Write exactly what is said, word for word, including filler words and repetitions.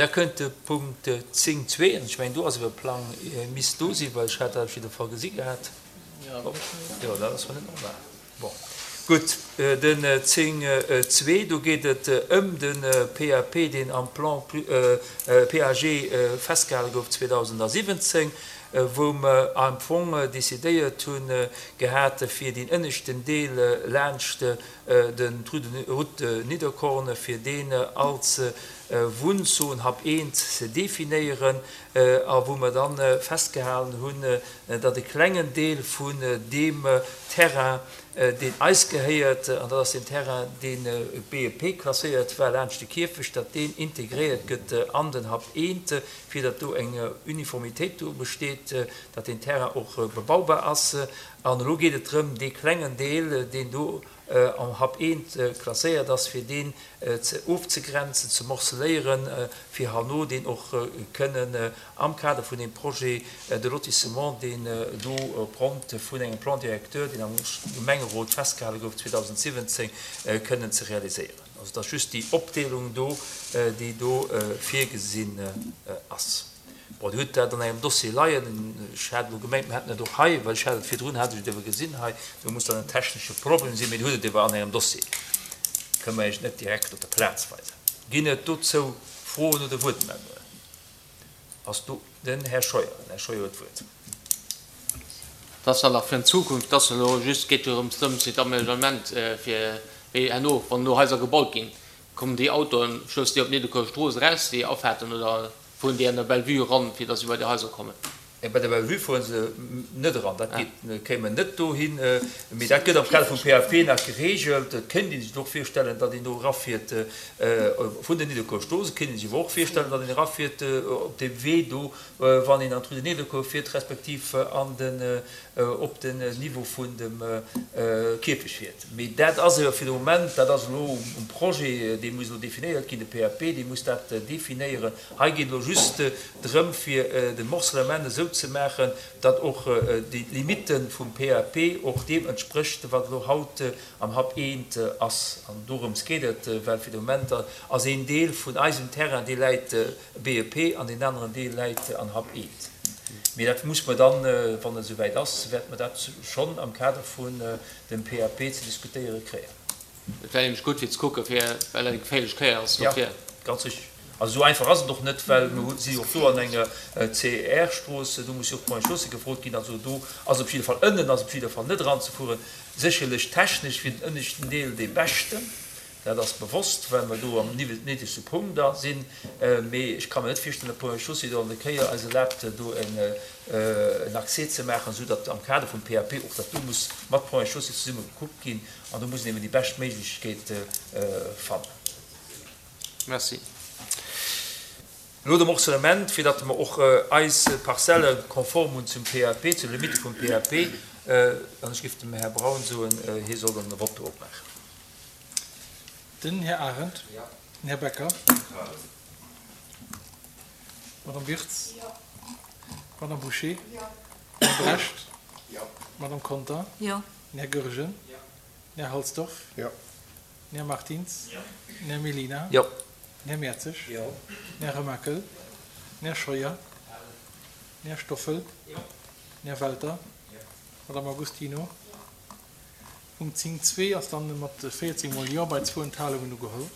Da kënnt de Punkt zéng zwee, an ech mengen, do ass ewer e Plang, misst do sinn, well ech hat dat op jidde Fall gesi gehat. Jo, dat ass net normal. Bon, gutt, den zéng zwee, do geet et ëm de P A P, deen am Plan P A G festgehale gouf zweedausensiwwenzéng, wou mer am Fong decidéiert hunn gehat, fir deen ënneschten Deel laanscht den Route Nidderkorn, fir deen als Wunnzon Hap eent ze definéieren, a wou mer dann festgehalen hunn, datt e klengen Deel vun deem Terrain, deen eis gehéiert, an dat ass den Terrain, deen B E P klasséiert war laanscht de Kierfecht, datt deen integréiert gëtt an den Hap eent, fir datt do eng Uniformitéit do besteet, datt deen Terrain och bebaubar ass. An elo geet et drëm, dee klengen Deel, deen do am Hap eent klasséiert ass, fir deen ze ofzegrenzen, ze morceléieren, fir herno deen och kënnen am Kader vun deem Projet de lotissement, deen do opgrond vun engem Plan directeur, deen am Gemengerot festgehale gouf zweedausensiwwenzéng, kënnen ze realiséieren. Also dat ass just déi Opdeelung do, déi do virgesinn ass. Bon, Dir hutt dat an engem Dossier leien. Ech hat elo gemengt, mir hätten et och hei, well ech hat et virdrun, hat ech et ewer gesinn hei. Do muss dann en technesche Problem sinn, mee Dir hutt et ewer an engem Dossier. Kënne mer Iech net direkt op der Plaz weisen. Ginn et dozou Froen oder Wuertmeldungen? Ass do den Här Scheuer? Den Här Scheuer huet d'Wuert. Dat ass dann nach fir an Zukunft, dass elo just geet jo drëms, drëms fir d'Aménagement, fir wéi herno, wann elo Haiser gebaut ginn, kommen déi Autoen, stoussen déi op d'Nidderkuer Strooss eraus, déi Afahrten, oder fueren déi an der Bellevue eran, fir dass se bei déi Haiser kommen? Bei der Bellevue fuere se net eran, dat geet, kéime net dohin, mee dat gëtt am Kader vum P A P nach geregelt. Et kéint ee sech och virstellen, datt een do erafiert vun der Nidderkuer Strooss. Et kéint ee sech awer och virstellen, datt een erafiert op deem Wee do, wann een an d'Rue de Nidderkuer fiert, respektiv an den, op den Niveau vun dem Kierfecht fiert. Mee dat ass ewer fir de Moment, dat ass elo um Projet, dee muss elo definéiert ginn, de P A P, dee muss dat definéieren. Hei geet elo just drëm, fir de Morcellement esou ze maachen, datt och déi Limitte vum P A P och deem entsprécht, wat elo haut am Hap eent ass. An dorëms geet et, well fir de Moment ass een Deel vun eisem Terrain, dee läit B E P, an deen aneren Deel läit an Hap eent. Mee dat muss mer dann, wann et esouwäit ass, wäerte mer dat schonn am Kader vun dem P A P ze diskutéiere kréien. Et wär nämlech gutt fir ze kucken, fir, well dat eng geféierlech Kéier ass Jo, dofir. Ganz richtig. Also esou einfach ass et och net, well mer si och do an enger C R-Strooss, do muss jo och d'Point Chaussée gefrot ginn. Also do ass op jidde Fall, ënnen ass op jidde Fall net eranzefueren. Sécherlech technesch wier den ënneschten Deel dee beschten, dat ass bewosst, well mer do am niddregste Punkt da sinn. Mee ech ka mir net virstellen, datt d'Point Chaussée do an der Kéier eis erlaabt, do en Accès ze maachen, esou datt am Kader vum P A P och dat do muss mat Ponts et Chaussées zesumme gekuckt ginn an do muss een eben déi bescht Méiglechkeet fannen. Merci. Elo de Morcellement, fir datt mer och eis Parzelle konform hunn zum P A P, zu de Limitte vum P A P. An ech géif dem Här Braun soen, hie soll dann de Vote opmaachen. Den Här Arendt. Den Här Becker. Madame Wirtz. Madame Bouché. Här Brecht. Madame Conter. Den Här Goergen. Den Här Halsdorf. Den Här Martins. Den Här Mellina. Den Här Mertzig. Den Här Remakel. Den Här Scheuer. Den Här Stoffel. Den Här Welter. Madame Agostino. Punkt zéng zwee ass dann mat véierzéng mol Jo bei zwou Enthalungen ugeholl.